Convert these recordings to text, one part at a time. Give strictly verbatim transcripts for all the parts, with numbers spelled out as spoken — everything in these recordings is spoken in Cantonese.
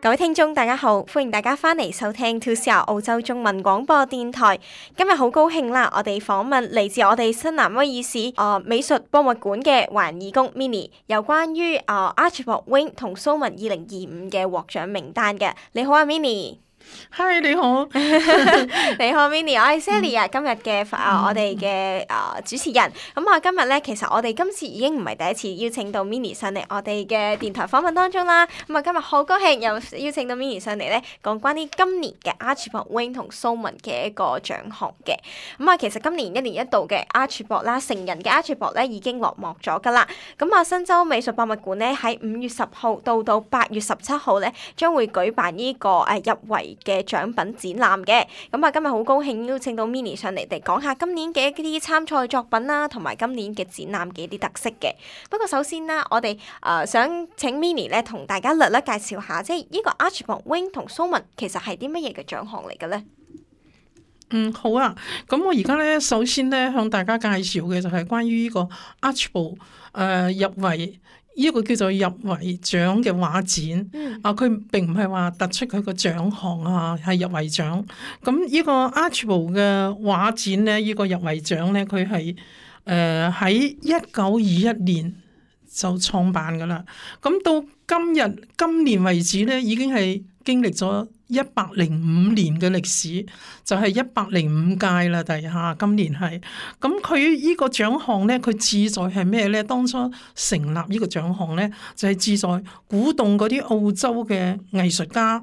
各位聽眾大家好，歡迎大家翻嚟收聽 two C R 澳洲中文廣播電台。今日好高興啦，我哋訪問嚟自我哋新南威爾士誒、呃、美術博物館嘅華人義工 Minnie， 有關於誒、呃、Archibald Wing 同蘇文二零二五嘅獲獎名單嘅。你好啊 Minnie。Hi， 你好，你好 Minnie， 我係 Sally 啊，今日嘅啊我哋嘅啊主持人。咁啊今日咧，其實我哋今次已經唔係第一次邀請到 Minnie 上嚟我哋嘅電台訪問當中啦。咁啊今日好高興又邀請到 Minnie 上嚟咧，講關於今年嘅 Archibald Wing 同蘇文嘅一個獎項嘅。咁啊其實今年一年一度嘅 Archibald 啦，成人嘅 Archibald 咧已經落幕咗噶啦。咁啊新州美術博物館咧喺五月十號到到八月十七號咧，將會舉辦呢個誒入圍嘅獎品展覽嘅。咁啊今日好高興邀請到 Minnie 上嚟，嚟講下今年嘅一啲參賽作品啦，同埋今年嘅展覽嘅一啲特色嘅。不過首先啦，我哋誒、呃、想請 Minnie 咧同大家略略介紹下，即係呢個 Archibald Wing 同蘇文其實係啲乜嘢嘅獎項嚟嘅咧？嗯，好啊。咁我而家咧首先咧向大家介紹嘅就係關於呢個 Archibald 誒、呃、入圍。呢個叫做入圍獎嘅畫展，嗯、啊，佢並唔係話突出佢個獎項啊，係入圍獎。咁呢個 Archibald 嘅畫展咧，呢、呢個入圍獎咧，佢係誒喺一九二一年就創辦噶啦。咁到今日今年為止咧，已經係經歷咗一百零五年嘅歷史，就係一百零五屆啦。第下今年係咁，佢呢個獎項咧，佢志在係咩咧？當初成立呢個獎項咧，就係、是、志在鼓動嗰啲澳洲嘅藝術家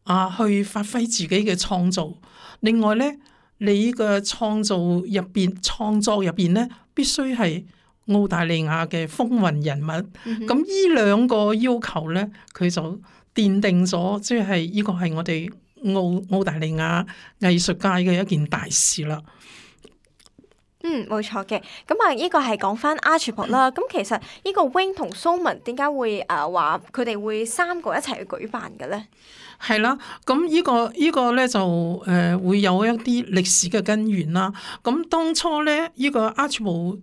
啊，去發揮自己嘅創造。另外咧，你呢個創造入邊創作入邊咧，必須係澳大利亞嘅風雲人物。咁呢、嗯、哼兩個要求咧，佢就奠定咗，即係呢個係我哋澳澳大利亞藝術界嘅一件大事啦。嗯，冇錯嘅。咁啊，呢個係講翻 Archibald 啦。咁其實呢個 Wing 同蘇文點解會誒話佢哋會三個一齊去舉辦嘅咧？係啦，咁呢個呢個咧就誒會有一啲歷史嘅根源啦。咁當初咧呢個 Archibald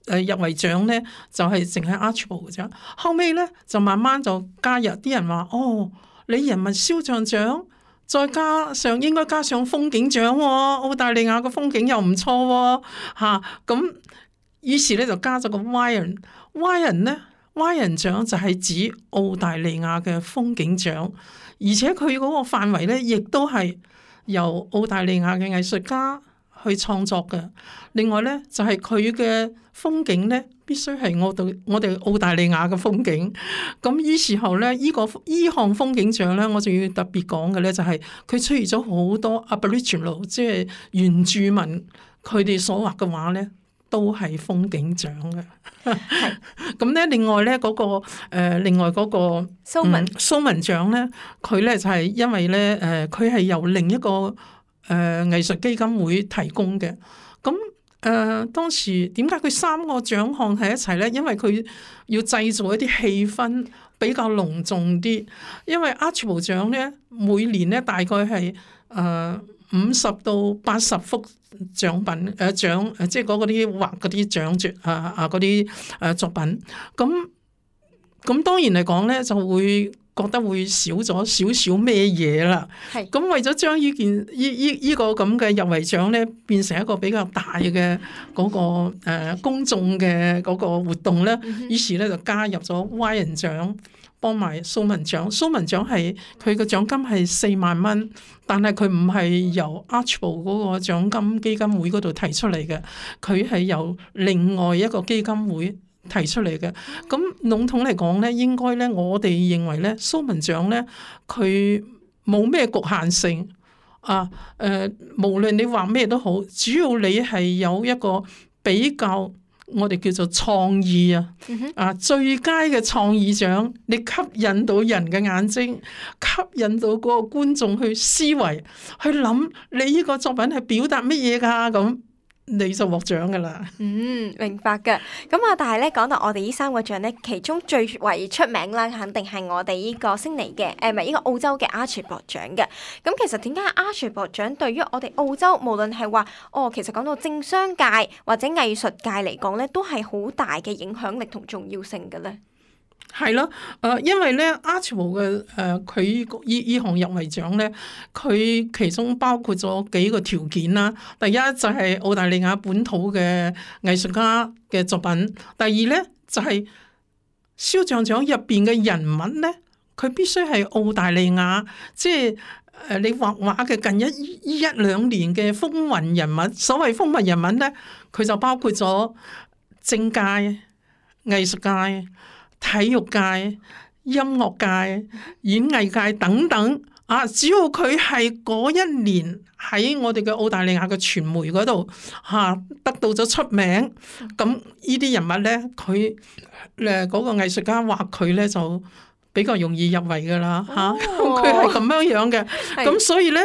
誒入圍獎咧就係淨係 Archibald 嘅啫。後尾咧就慢慢就加入啲人話，哦，你人物肖像獎，再加上應該加上風景獎喎，澳大利亞嘅風景又唔錯喎，嚇咁於是咧就加咗個 Wyron，Wyron 咧 Wyron 獎就係指澳大利亞嘅風景獎。而且佢嗰個範圍咧，亦都係由澳大利亞嘅藝術家去創作嘅。另外咧，就係佢嘅風景咧，必須係我哋我哋澳大利亞嘅風景。咁於是後咧，依、這個依項風景獎咧，我仲要特別講嘅咧，就係佢出現咗好多 Aboriginal， 即係原住民佢哋所畫嘅畫咧，都係風景獎嘅。係咁咧，另外咧嗰、那個、呃、另外嗰、那個蘇文、嗯、蘇文獎咧，佢咧就係、是、因為咧誒，佢、呃、係由另一個誒、呃、藝術基金會提供嘅。咁誒、呃、當時點解佢三個獎項喺一齊咧？因為佢要製造一啲氣氛比較隆重啲。因為 Archibald 獎咧，每年咧大概係誒五十到八十幅獎品誒獎誒，即係嗰啲畫嗰啲獎絕啊啊嗰啲誒作品，咁咁當然嚟講咧，就會覺得會少咗少少咩嘢啦。係咁是為咗將呢件呢呢呢個咁嘅入圍獎咧，變成一個比較大嘅嗰、嗰個誒、呃、公眾嘅嗰個活動咧，嗯、哼於是咧就加入咗 Wyron 獎。幫埋蘇文獎，蘇文獎係佢個獎金係四萬蚊，但係佢唔係由 Archibald 嗰個獎金基金會嗰度提出嚟嘅，佢係由另外一個基金會提出嚟嘅。咁籠統嚟講咧，應該咧，我哋認為咧，蘇文獎咧，佢冇咩局限性啊。誒、呃，無論你畫咩都好，主要你係有一個比較。我哋叫做創意啊，啊最佳嘅創意獎，你吸引到人嘅眼睛，吸引到嗰個觀眾去思維，去諗你呢個作品係表達乜嘢噶咁。你就獲獎噶啦。嗯，明白嘅。咁啊，但係咧講到我哋呢三個獎咧，其中最為出名啦，肯定係我哋呢個悉尼嘅，誒唔係呢個澳洲嘅 Archibald 獎嘅。咁其實點解 Archibald 獎對於我哋澳洲，無論係話哦，其實講到政商界或者藝術界嚟講咧，都係好大嘅影響力同重要性嘅咧。係咯，誒、呃，因為咧 Archibald 嘅誒佢依依項入圍獎咧，佢其中包括咗幾個條件啦。第一就係澳大利亞本土嘅藝術家嘅作品，第二咧就係肖像獎入邊嘅人物咧，佢必須係澳大利亞，即係誒你畫畫嘅近一一兩年嘅風雲人物。所謂風雲人物咧，佢就包括咗政界、藝術界、體育界、音樂界、演藝界等等啊，只要佢係嗰一年喺我哋嘅澳大利亞嘅傳媒嗰度嚇得到咗出名，咁呢啲人物咧，佢誒嗰個藝術家畫佢咧就比較容易入圍噶啦嚇，佢係咁樣樣嘅，咁是所以咧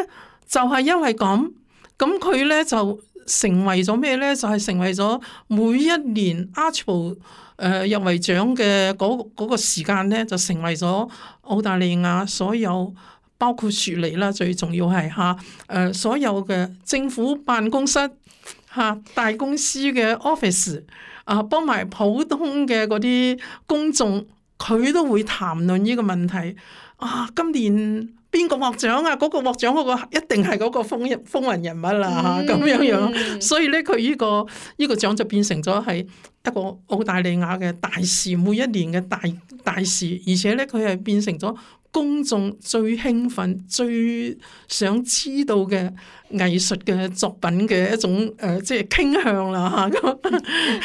就係、是、因為咁，咁佢咧就成為咗咩咧？就係、是、成為咗每一年 Archibald 誒入圍獎嘅嗰嗰個時間咧，就成為咗澳大利亞所有包括雪梨啦，最重要係嚇誒所有嘅政府辦公室嚇大公司嘅 office 啊，幫埋普通嘅嗰啲公眾，佢都會談論呢個問題啊！今年邊個獲獎啊？嗰、嗰個獲獎嗰個一定係嗰個風風雲人物啦嚇，咁樣樣。所以咧，佢呢、呢個呢、呢個獎就變成咗係一個澳大利亞嘅大事，每一年嘅大大事，而且咧佢係變成咗公眾最興奮、最想知道嘅藝術嘅作品嘅一種誒、呃，即係傾向啦嚇。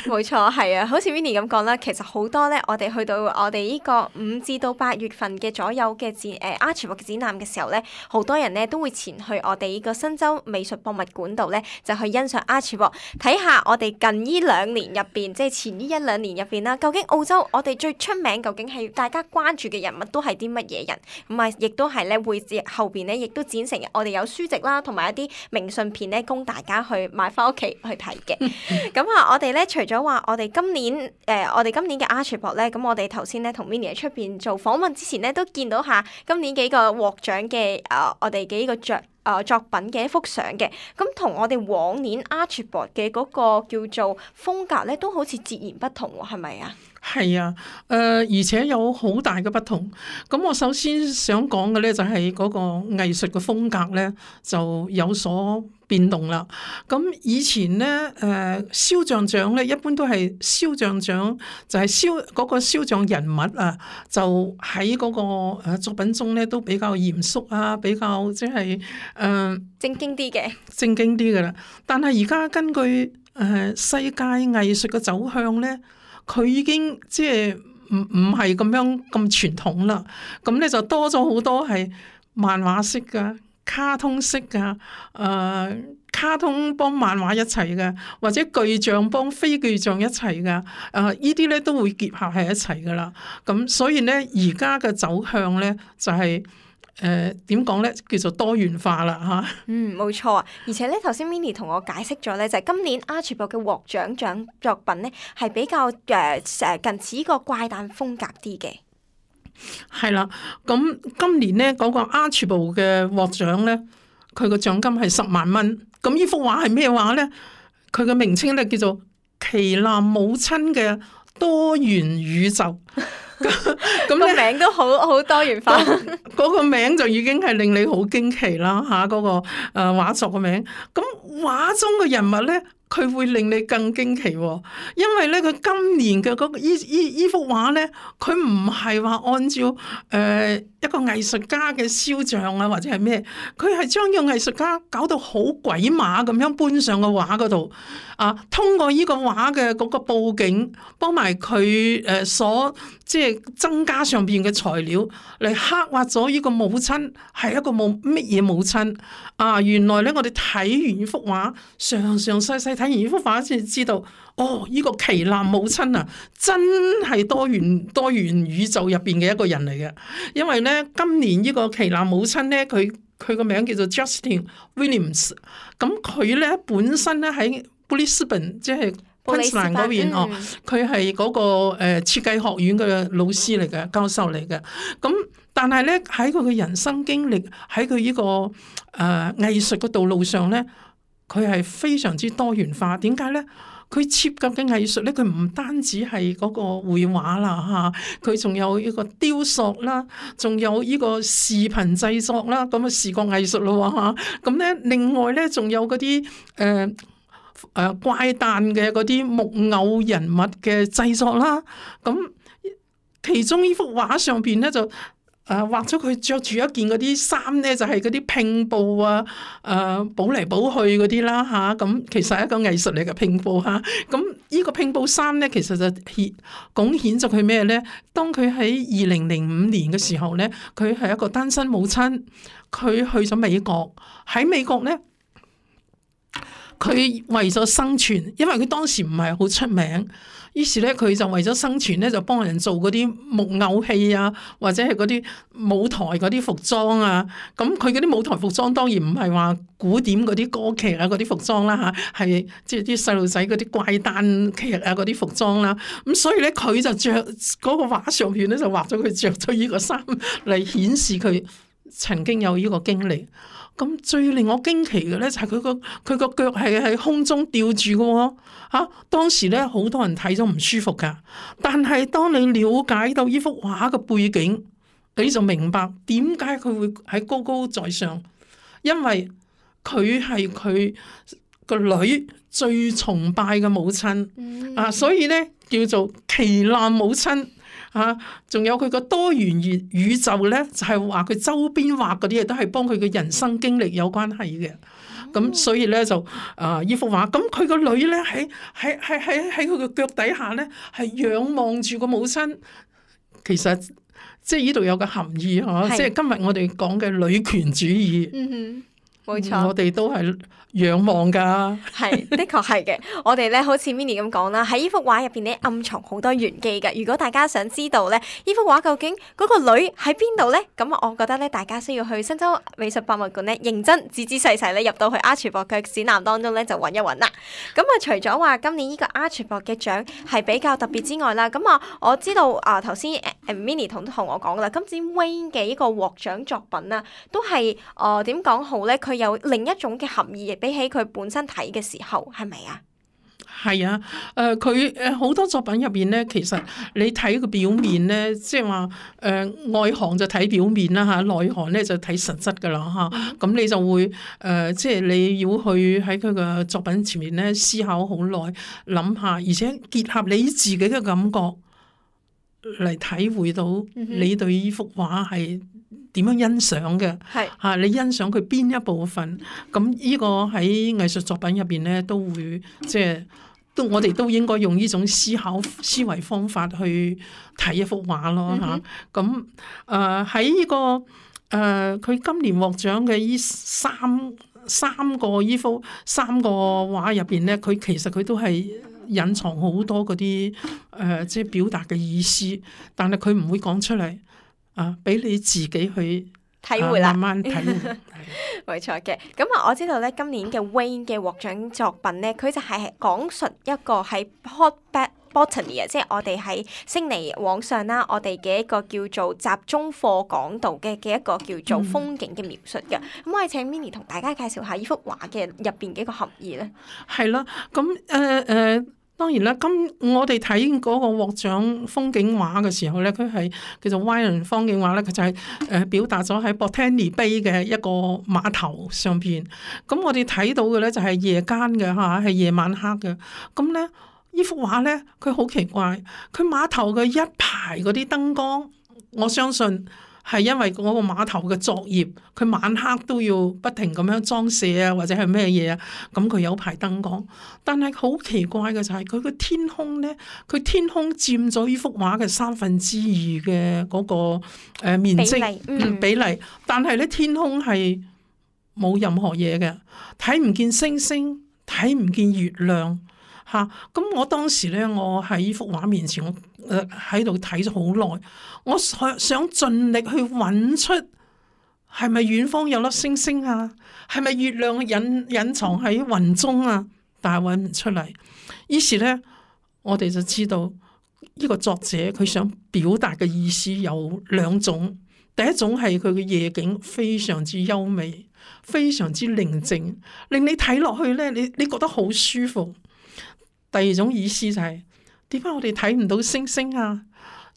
冇錯，係啊，好似 Winnie 咁講啦，其實好多咧，我哋去到我哋呢個五至到八月份嘅左右嘅展誒 Archibald 嘅展覽嘅時候咧，好多人咧都會前去我哋呢個新州美術博物館度咧，就去欣賞 Archibald，睇下我哋近呢兩年入邊，即係前呢一兩年入邊啦，究竟澳洲我哋最出名，究竟係大家關注嘅人物都係啲乜嘢人？咁啊，亦都係咧會後邊咧，亦都展成我哋有書籍啦，同埋一啲明信片咧，供大家去買翻屋企去睇嘅。咁啊，我哋咧除咗話我哋今年誒、呃，我哋今年嘅 Archibald 咧，咁我哋頭先咧同 Winnie 喺出邊做訪問之前咧，都見到下今年幾個獲獎嘅誒，我哋幾個作誒作品嘅一幅相嘅。咁同我哋往年 Archibald 嘅嗰個叫做風格咧，都好似截然不同喎，係咪啊？係啊，誒、呃、而且有好大嘅不同。咁我首先想講嘅咧，就係嗰個藝術嘅風格咧，就有所變動啦。咁以前咧，誒、呃、肖像獎咧，一般都係肖像獎，就係肖嗰個肖像人物啊，就喺嗰個作品中咧，都比較嚴肅啊，比較即係誒正經啲嘅，正經啲嘅啦。但係而家根據誒、呃、世界藝術嘅走向咧，佢已經即係唔唔係咁樣咁傳統啦，咁咧就多咗好多係漫畫式噶、卡通式噶，誒、呃、卡通幫漫畫一齊嘅，或者具象幫非具象一齊嘅，誒、呃、呢啲咧都會結合喺一齊噶啦。咁所以咧而家嘅走向咧就係、是。誒點講咧，叫做多元化啦嚇。嗯，冇錯啊。而且咧，頭先 Winnie 同我解釋咗咧，就係、是、今年 Archibald 嘅獲獎獎作品咧，係比較誒誒、呃、近似呢個怪誕風格啲嘅。係啦，咁今年咧嗰、那個 Archibald 嘅獲獎咧，佢個獎金係十萬蚊。咁呢幅畫係咩畫咧？佢嘅名稱咧叫做《旗艦母親嘅多元宇宙》。咁個名都好好多元化，嗰個名就已經係令你好驚奇啦嚇！嗰、那個誒畫作個名，咁畫中嘅人物咧，佢會令你更驚奇喎，因為咧佢今年嘅嗰個依依依幅畫咧，佢唔係話按照誒、呃、一個藝術家嘅肖像啊，或者係咩，佢係將個藝術家搞到好鬼馬咁樣搬上個畫嗰度啊，通過依個畫嘅嗰個佈景，幫埋佢誒所即係增加上邊嘅材料嚟刻畫咗依個母親係一個冇乜嘢母親啊！原來咧我哋睇完依幅畫，詳詳細細睇完呢幅畫先知道，哦！呢、這個旗艦母親啊，真係多元多元宇宙入邊嘅一個人嚟嘅。因為咧，今年呢個旗艦母親咧，佢佢個名叫做 Justin Williams。咁佢咧本身咧喺 Brisbane， 即係昆士蘭嗰邊哦，佢係嗰個誒設計學院嘅老師嚟嘅，教授嚟嘅。咁但係咧喺佢嘅人生經歷，喺佢呢個誒、呃、藝術嘅道路上咧。佢係非常之多元化，點解咧？佢設計嘅藝術咧，佢唔單止係嗰個繪畫啦嚇，佢仲有呢個雕塑啦，仲有呢個視頻製作啦，咁啊視覺藝術咯嚇。咁咧另外咧仲有嗰啲誒誒怪誕嘅嗰啲木偶人物嘅製作啦。咁其中呢幅畫上邊咧就誒、呃、畫咗佢着住一件嗰啲衫咧，就係嗰啲拼布啊，誒補嚟補去嗰啲啦嚇。咁、啊、其實係一個藝術嚟嘅拼布嚇。咁、啊、呢個拼布衫咧，其實就顯貢獻咗佢咩咧？當佢喺二零零五年嘅時候咧，佢係一個單身母親，佢去咗美國，喺美國咧。佢為咗生存，因為佢當時唔係好出名，於是咧佢就為咗生存咧就幫人做嗰啲木偶戲啊，或者係嗰啲舞台嗰啲服裝啊。咁佢嗰啲舞台服裝當然唔係話古典嗰啲歌劇啊嗰啲服裝啦嚇，係即係啲細路仔嗰啲怪誕劇啊嗰啲服裝啦。咁所以咧佢就着嗰個畫上邊咧就畫咗佢着咗呢個衫嚟顯示佢曾經有呢個經歷。咁最令我驚奇嘅咧就係佢個佢個腳係喺空中吊住嘅喎嚇，當時咧好多人睇咗唔舒服噶，但係當你了解到呢幅畫嘅背景，你就明白點解佢會喺高高在上，因為佢係佢個女最崇拜嘅母親、嗯、啊，所以咧叫做旗艦母親。啊，仲有佢個多元宇宇宙咧，就係話佢周邊畫嗰啲嘢都係幫佢嘅人生經歷有關係嘅。咁、哦、所以咧就啊呢幅畫，咁佢個女咧喺喺喺喺喺佢個腳底下咧，係仰望住個母親。其實即係呢度有個含義嗬，即係今日我哋講嘅女權主義。嗯哼。冇錯，我哋都係仰望噶，係的確係嘅。我哋咧好似 Minnie 咁講啦，喺呢幅畫入邊咧暗藏好多玄機嘅。如果大家想知道咧呢幅畫究竟嗰個女喺邊度咧，咁我覺得咧大家需要去新州美術博物館咧認真仔仔細細咧入到去 Archibald 嘅展覽當中咧就揾一揾啦。咁啊除咗話今年呢個 Archibald 嘅獎係比較特別之外啦，咁啊我知道啊頭先 Minnie 同同我講啦，今次 Wayne 嘅呢個獲獎作品啊，都係誒點講好咧？佢有另一種嘅含義，比起佢本身睇嘅時候，係咪啊？係啊，誒佢誒好多作品入邊咧，其實你睇個表面咧，即係話誒外行就睇表面啦嚇，內行咧就睇實質噶啦嚇。咁、嗯、你就會誒、呃，即係你要去喺佢嘅作品前面咧思考好耐，諗下，而且結合你自己嘅感覺嚟體會到你對呢幅畫係點樣欣賞嘅？係嚇，你欣賞佢邊一部分？咁呢個喺藝術作品入邊咧，都會即係都我哋都應該用呢種思考思維方法去睇一幅畫咯嚇。咁誒喺呢個誒佢、呃、今年獲獎嘅呢三三個呢幅三個畫入邊咧，佢其實佢都係隱藏好多嗰啲誒即係表達嘅意思，但係佢唔會講出嚟。啊！俾你自己去體會啦，慢慢體會。冇錯嘅。咁啊，我知道咧，今年嘅 Wayne 嘅獲獎作品咧，佢就係講述一個喺 Port Botany 啊，即係我哋喺悉尼往上啦，我哋嘅一個叫做集中課講道嘅嘅一個叫做風景嘅描述嘅。咁、嗯、我哋請 Minnie 同大家介紹下呢幅畫嘅入邊嘅一個含義咧。係啦，咁誒誒。當然啦，今我哋睇嗰個獲獎風景畫嘅時候咧，佢係叫做 Wyron 風景畫咧，佢就係誒表達咗喺 Botany Bay 嘅一個碼頭上邊。咁我哋睇到嘅咧就係夜間嘅嚇，係夜晚黑嘅。咁咧呢幅畫咧，佢好奇怪，佢碼頭嘅一排嗰啲燈光，我相信係因為嗰個碼頭嘅作業，佢晚黑都要不停咁樣裝卸啊，或者係咩嘢啊，咁佢有排燈光。但係好奇怪嘅就係佢個天空咧，佢天空佔咗呢幅畫嘅三分之二嘅嗰個誒面積比例，嗯、比例，但係咧天空係冇任何嘢嘅，睇唔見星星，睇唔見月亮。嚇！咁、啊、我當時咧，我喺呢幅畫面前，我誒喺度睇咗好耐，我想想盡力去揾出係咪遠方有粒星星啊？係咪月亮隱隱藏喺雲中啊？但係揾唔出嚟。於是咧，我哋就知道呢個作者佢想表達嘅意思有兩種。第一種係佢嘅夜景非常之優美，非常之寧靜，令你睇落去咧，你你覺得好舒服。第二種意思就係點解我哋睇唔到星星啊？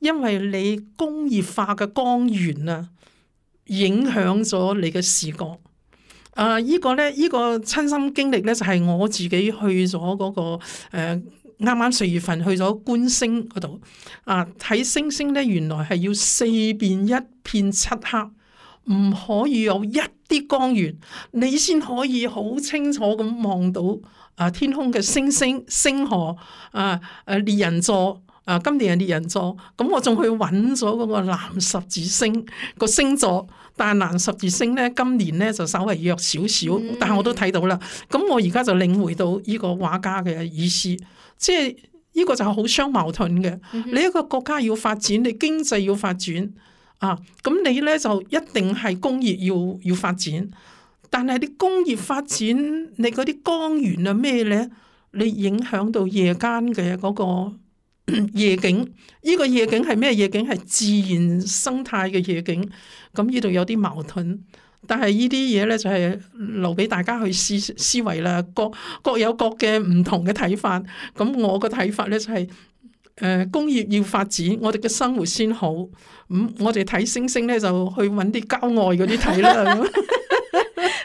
因為你工業化嘅光源啊，影響咗你嘅視覺。啊！依、這個咧，依、這個親身經歷咧，就係、是、我自己去咗嗰、那個誒啱啱四月份去咗觀星嗰度啊，睇星星咧，原來係要四面一片漆黑，唔可以有一啲光源，你先可以好清楚咁望到啊天空嘅星星、星河啊誒獵人座啊，今年係獵人座，咁我仲去揾咗嗰個藍十字星個星座。但係藍十字星咧，今年咧就稍微弱少少，但係我都睇到啦。咁我而家就領會到呢個畫家嘅意思，即係呢個就係好相矛盾嘅。嗯、哼你一個國家要發展，你經濟要發展啊，咁你咧就一定係工業要要發展。但係啲工業發展，你嗰啲光源啊咩咧，你影響到夜間嘅嗰個夜景。呢、這個夜景係咩夜景？係自然生態嘅夜景。咁呢度有啲矛盾，但係呢啲嘢咧就係留俾大家去思思維啦。各各有各嘅唔同嘅睇法。咁我個睇法咧就係、是，誒、呃、工業要發展，我哋嘅生活先好。咁、嗯、我哋睇星星咧就去揾啲郊外嗰啲睇啦。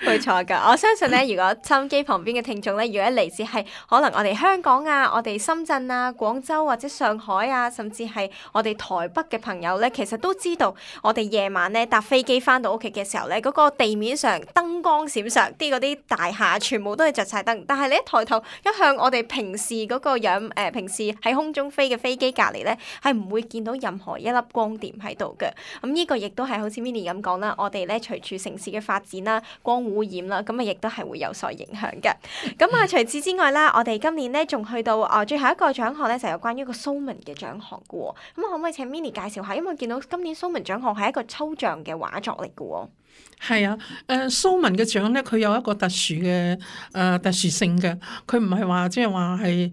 冇錯㗎，我相信咧，如果收音機旁邊嘅聽眾咧，如果嚟自係可能我哋香港啊、我哋深圳啊、廣州或者上海啊，甚至係我哋台北嘅朋友咧，其實都知道我哋夜晚咧搭飛機翻到屋企嘅時候咧，嗰個地面上燈光閃爍，啲嗰啲大廈全部都係着晒燈，但係你一抬頭一向我哋平時嗰個樣誒、呃，平時喺空中飛嘅飛機隔離咧，係唔會見到任何一粒光點喺度嘅。咁呢個亦都係好似 Minnie 咁講啦，我哋咧隨住城市嘅發展啦，光污染啦，咁啊亦都係會有所影響嘅。咁啊，除此之外啦，我哋今年咧仲去到啊最後一個獎項咧，就有關於一個蘇文嘅獎項嘅喎。咁可唔可以請 Minnie 介紹下？因為見到今年蘇文獎項係一個抽象嘅畫作嚟嘅喎。係啊，誒蘇文嘅獎咧，佢有一個特殊嘅誒、呃、特殊性嘅，佢唔係話即係話係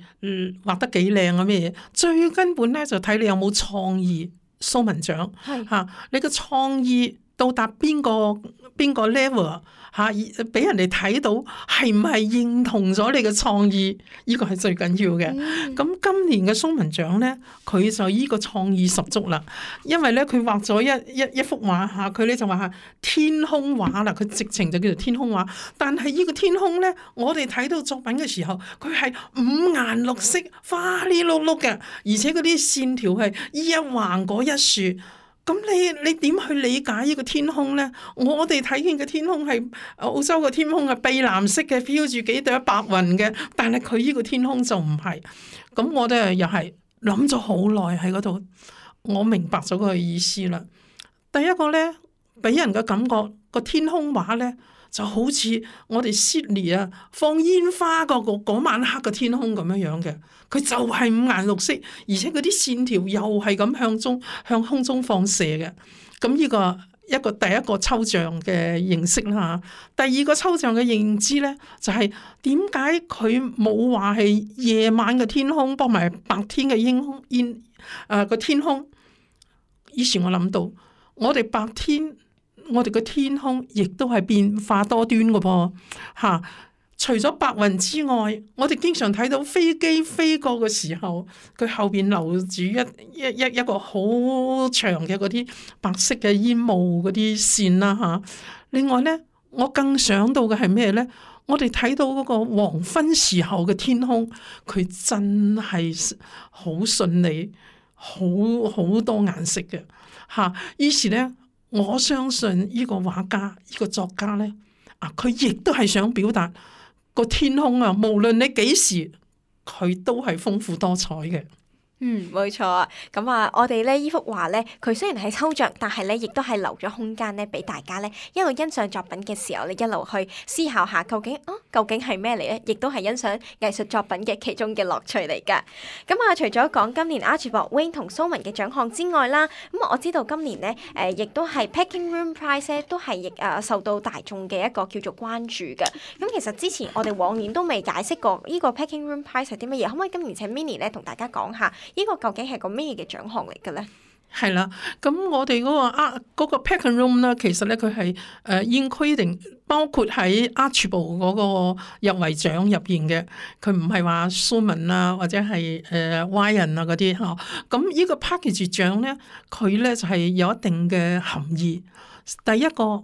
畫得幾靚啊咩嘢，最根本咧就睇你有冇創意。蘇文獎係嚇，你嘅創意到達邊個邊個 level 嚇，俾人哋睇到係唔係認同咗你嘅創意？呢個係最緊要嘅。咁、嗯、今年嘅蘇文獎咧，佢就依個創意十足啦。因為咧，佢畫咗一一一幅畫嚇，佢咧就話係天空畫啦。佢直情就叫做天空畫。但係呢個天空咧，我哋睇到作品嘅時候，佢係五顏六色、花哩碌碌嘅，而且嗰啲線條係依一橫嗰一豎。咁你你點去理解呢個天空咧？我哋睇見嘅天空係澳洲嘅天空係碧藍色嘅，飄住幾朵白雲嘅，但係佢呢個天空就唔係。咁我哋又係諗咗好耐喺嗰度，我明白咗個意思啦。第一個咧，俾人嘅感覺個天空畫咧，就好似我哋 Sydney 啊放煙花個嗰晚黑嘅天空咁樣樣嘅，佢就係五顏六色，而且嗰啲線條又係咁向中向空中放射嘅。咁呢個一個第一個抽象嘅認識啦嚇。第二個抽象嘅認知咧，就係點解佢冇話係夜晚嘅天空幫埋白天嘅煙煙誒個天空？以前我諗到，我哋白天。我哋嘅天空亦都係變化多端嘅噃嚇，除咗白雲之外，我哋經常睇到飛機飛過嘅時候，佢後邊留住一一一一個好長嘅嗰啲白色嘅煙霧嗰啲線啦嚇。另外咧，我更想到嘅係咩咧？我哋睇到嗰個黃昏時候嘅天空，佢真係好順利，好好多顏色嘅嚇。於是咧。我相信呢個畫家、呢、這個作家咧，啊，佢亦都係想表達個天空啊，無論你幾時，佢都係豐富多彩嘅。嗯，冇錯啊。咁啊，我哋咧呢幅畫咧，佢雖然係抽象，但係咧亦都係留咗空間咧，俾大家咧一路欣賞作品嘅時候，你一路去思考下究竟啊，究竟係咩嚟咧？亦都係欣賞藝術作品嘅其中嘅樂趣嚟㗎。咁啊，除咗講今年 Archibald Wing 同蘇文嘅獎項之外啦，咁我知道今年咧誒、呃，亦都係 Packing Room Prize 咧，都係亦誒受到大眾嘅一個叫做關注嘅。咁其實之前我哋往年都未解釋過呢個 Packing Room Prize 係啲乜嘢，可唔可以今年請 Minnie 咧同大家講下？呢個究竟係個咩嘅獎項嚟嘅咧？係啦，咁我哋嗰、嗰個啊嗰、嗰個 Packing Room 咧，其實咧佢係誒 including 包括喺 Archibald 嗰個入圍獎入邊嘅，佢唔係話蘇文啊或者係誒 Ryan 啊嗰啲嚇。咁呢個 package 獎咧，佢咧就係、是、有一定嘅含義。第一個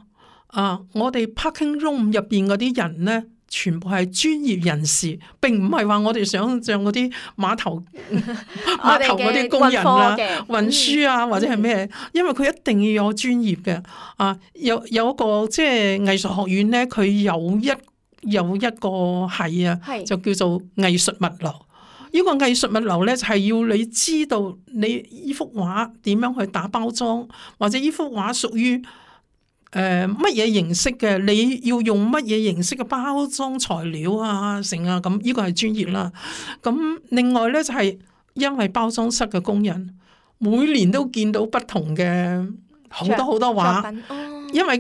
啊，我哋 parking room 入邊嗰啲人咧，全部係專業人士，並唔係話我哋想像嗰啲碼頭碼頭嗰啲工人啦、運輸啊或者係咩，因為佢一定要有專業嘅啊。有有一個即係藝術學院咧，佢有一有一個係啊，就叫做藝術物流。呢個藝術物流咧，就係要你知道你呢幅畫點樣去打包裝，或者呢幅畫屬於誒乜嘢形式嘅，你要用乜嘢形式嘅包裝材料啊，成啊咁，呢個係專業啦。咁另外咧就係因為包裝室嘅工人每年都見到不同嘅好多好多畫，因為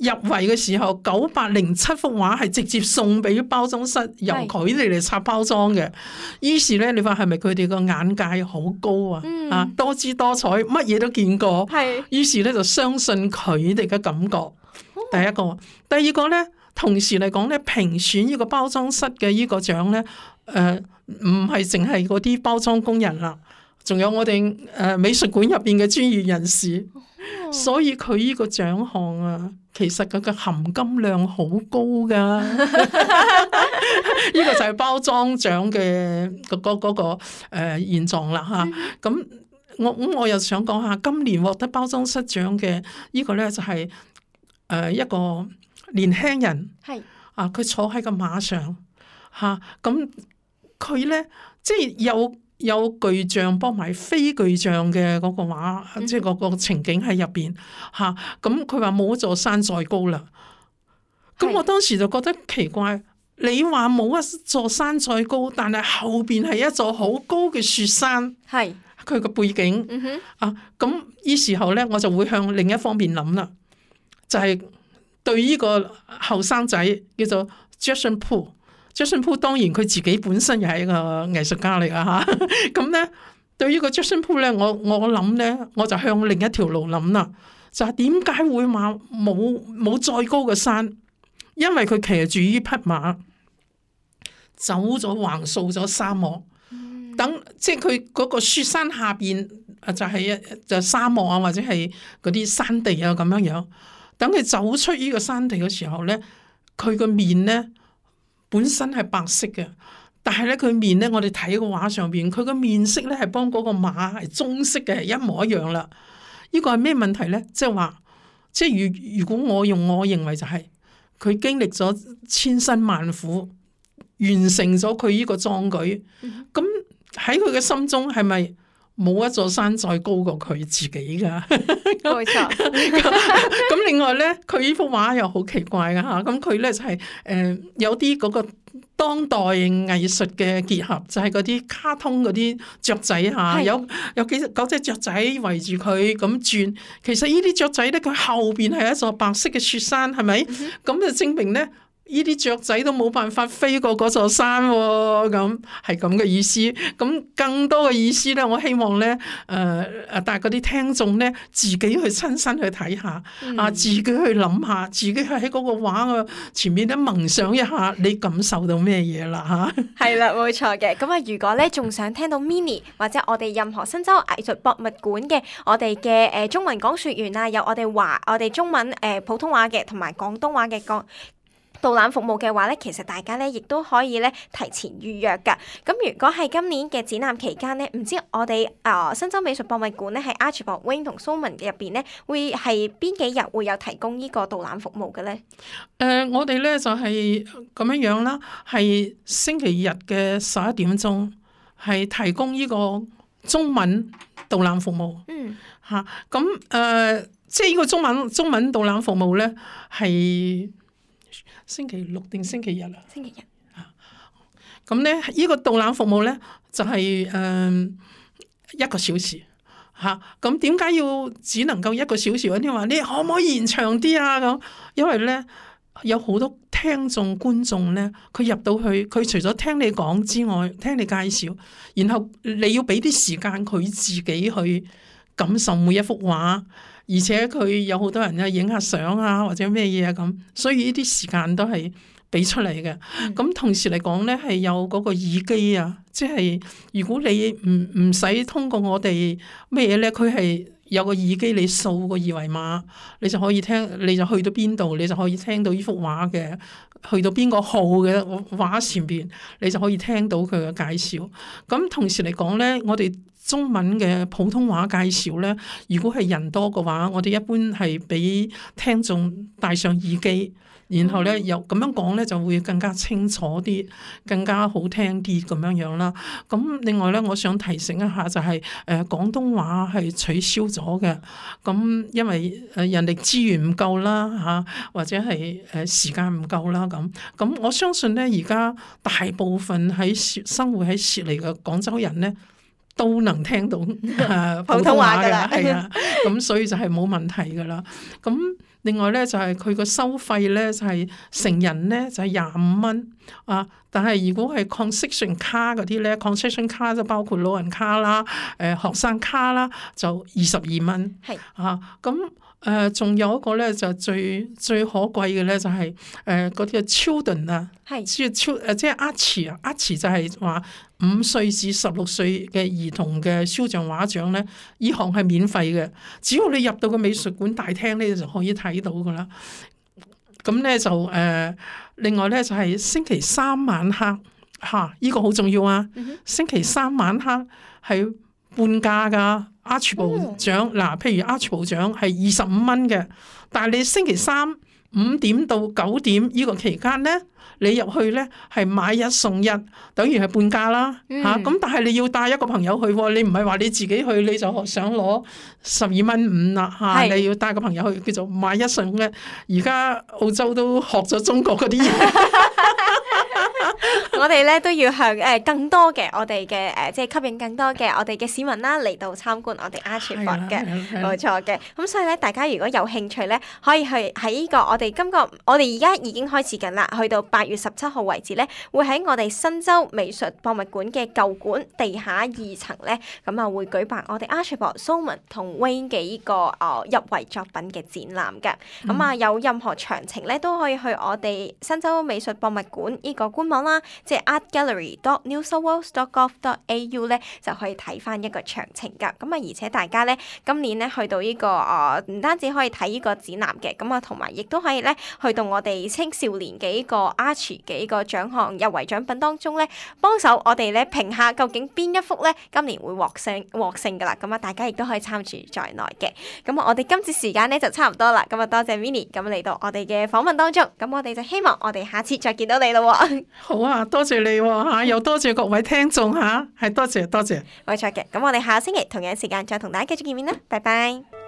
入圍嘅時候九百零七幅畫係直接送俾包裝室，由佢哋嚟拆包裝嘅。於是咧，你話係咪佢哋個眼界好高啊？嗯、啊，多姿多彩，乜嘢都見過。係。於是咧就相信佢哋嘅感覺。第一個，第二個咧，同時嚟講咧，評選呢個包裝室嘅呢個獎咧，誒唔係淨係嗰啲包裝工人啦，仲有我哋誒、呃、美術館入邊嘅專業人士。所以佢呢個獎項啊，其實佢嘅含金量好高噶。呢個就係包裝獎嘅嗰嗰嗰個誒、呃、現狀啦吓。咁、嗯、我咁我又想講下，今年獲得包裝室獎嘅呢個咧就係、是、誒、呃、一個年輕人，係啊，佢坐喺個馬上吓，咁佢咧即係有。有巨像幫埋非巨像嘅嗰個畫，嗯、即係嗰個情景喺入邊嚇。咁佢話冇一座山再高啦。咁我當時就覺得奇怪，你話冇一座山再高，但係後邊係一座好高嘅雪山，係佢個背景。嗯、哼啊，咁呢時候咧，我就會向另一方面諗啦，就係、是、對呢個後生仔叫做 Jackson Pollock。Jackson Pollock 當然佢自己本身又係一個藝術家嚟噶嚇，咁咧對於個 Jackson Pollock 咧，我我諗咧，我就向另一條路諗啦，就係點解會話冇冇再高嘅山？因為佢騎住呢匹馬走咗橫掃咗沙漠，嗯、等即係佢嗰個雪山下邊就係就沙漠啊，或者係嗰啲山地啊咁樣樣。等佢走出呢個山地嘅時候咧，佢個面咧。本身係白色嘅，但係咧佢面咧，我哋睇個畫上邊，佢個面色咧係幫嗰個馬係棕色嘅，一模一樣啦。呢個係咩問題咧？即係話，即係如如果我用我認為就係、是、佢經歷咗千辛萬苦，完成咗佢呢個壯舉，咁喺佢嘅心中係咪冇一座山再高過佢自己㗎？冇錯。咁另外咧，佢呢幅畫又好奇怪㗎吓，咁佢咧就係、是、誒、呃、有啲嗰個當代藝術嘅結合，就係嗰啲卡通嗰啲雀仔吓，有有幾隻九隻雀仔圍住佢咁轉。其實呢啲雀仔咧，佢後邊係一座白色嘅雪山，係咪？咁、嗯、就證明咧。呢啲雀仔都冇辦法飛過嗰座山喎、哦，咁係咁嘅意思。咁更多嘅意思咧，我希望咧，誒、呃、誒，但係嗰啲聽眾咧，自己去親身去睇下，嗯、啊，自己去諗下，自己去喺嗰個畫嘅前面咧冥想一下，你感受到咩嘢啦嚇？係啦，冇錯嘅。咁啊，如果咧仲想聽到 Minnie 或者我哋任何新州藝術博物館嘅我哋嘅誒中文講説員啊，有我哋華我哋中文誒、呃、普通話嘅同埋廣東話嘅講導覽服務嘅話咧，其實大家咧亦都可以咧提前預約㗎。咁如果係今年嘅展覽期間咧，唔知我哋啊、呃、新州美術博物館咧喺 Archibald Wing 同 Sloman 嘅入邊咧，會係邊幾日會有提供呢個導覽服務嘅咧？誒、呃，我哋咧就係咁樣樣啦，係星期日嘅十一點鐘係提供呢個中文導覽服務。嗯，嚇咁誒，即係呢個中文中文導覽服務咧係。星期六定星期日啊？星期日啊，咁咧呢個導覽服務咧就係、是、誒、呃、一個小時嚇。咁點解要只能夠一個小時？有啲話你可唔可以延長啲啊？咁因為咧有好多聽眾觀眾咧，佢入到去，佢除咗聽你講之外，聽你介紹，然後你要俾啲時間佢自己去感受每一幅畫，而且佢有好多人啊影下相啊或者咩嘢啊咁，所以呢啲時間都係俾出嚟嘅。咁、嗯、同時嚟講咧，係有嗰個耳機啊，即係如果你唔唔使通過我哋咩嘢咧，佢係有個耳機，你掃個二維碼，你就可以聽，你就去到邊度，你就可以聽到呢幅畫嘅，去到邊個號嘅畫前邊，你就可以聽到佢嘅介紹。咁同時嚟講咧，我哋中文嘅普通話介紹咧，如果係人多嘅話，我哋一般係俾聽眾戴上耳機。然後咧，又咁樣講咧，就會更加清楚啲，更加好聽啲咁樣樣啦。咁另外咧，我想提醒一下就係、是，誒、呃、廣東話係取消咗嘅。咁因為誒人力資源唔夠啦嚇，或者係誒時間唔夠啦咁。咁我相信咧，而家大部分喺生活喺悉尼嘅廣州人咧，都能聽到誒普通話㗎啦，係啊。咁所以就係冇問題㗎啦。咁另外咧就係佢個收費咧就係、是、成人咧就係廿五蚊啊，但係如果係 concession 卡嗰啲咧 concession 卡就包括老人卡啦、誒、呃、學生卡啦，就二十二蚊。係啊，咁誒仲有一個咧就最最可貴嘅咧就係誒嗰啲 children 啊，即係超誒即係 Archie 啊 Archie 就係話五歲至十六歲嘅兒童嘅肖像畫獎咧，呢項係免費嘅，只要你入到個美術館大廳咧就可以睇到噶啦。咁咧就誒、呃，另外咧就係、是、星期三晚黑嚇，依、啊這個好重要啊！嗯、星期三晚黑係半價噶 Archibald 獎嗱，譬如 Archibald 獎係二十五蚊嘅，但係你星期三五點到九點呢個期間咧，你入去咧係買一送一，等於係半價啦嚇。咁、嗯啊、但係你要帶一個朋友去，你唔係話你自己去你就想攞十二蚊五啦嚇，你要帶個朋友去，叫做買一送一。而家澳洲都學咗中國嗰啲嘢。我哋咧都要向誒更多嘅我哋嘅誒，即係吸引更多嘅我哋嘅市民啦嚟到參觀我哋 Archibald 嘅，冇錯嘅。咁所以咧，大家如果有興趣咧，可以去喺呢個我哋今個我哋而家已經開始緊啦，去到八月十七號為止咧，會喺我哋新州美術博物館嘅舊館地下二層咧，咁啊會舉辦我哋 Archibald、Sulman 同 Wayne 嘅呢個誒入圍作品嘅展覽嘅。咁啊、嗯、有任何詳情咧，都可以去我哋新州美術博物館呢個官網啦。即係 artgallery dot new south wales dot gov dot a u 咧，就可以睇翻一個詳情㗎。咁啊，而且大家咧今年咧去到呢、這個誒，唔、呃、單止可以睇呢個展覽嘅，咁啊同埋亦都可以咧去到我哋青少年嘅呢個 Archie 嘅呢個獎項入圍獎品當中咧，幫手我哋咧評下究竟邊一幅咧今年會獲勝獲勝㗎啦。咁啊，大家亦都可以參與在內嘅。咁啊，我哋今次時間咧就差唔多啦。咁啊，多謝 Winnie 咁嚟到我哋嘅訪問當中。咁我哋就希望我哋下次再見到你咯。好啊，多謝你喎嚇，又多謝各位聽眾嚇，係多謝多謝。冇錯嘅，咁我哋下個星期同樣時間再同大家繼續見面啦，拜拜。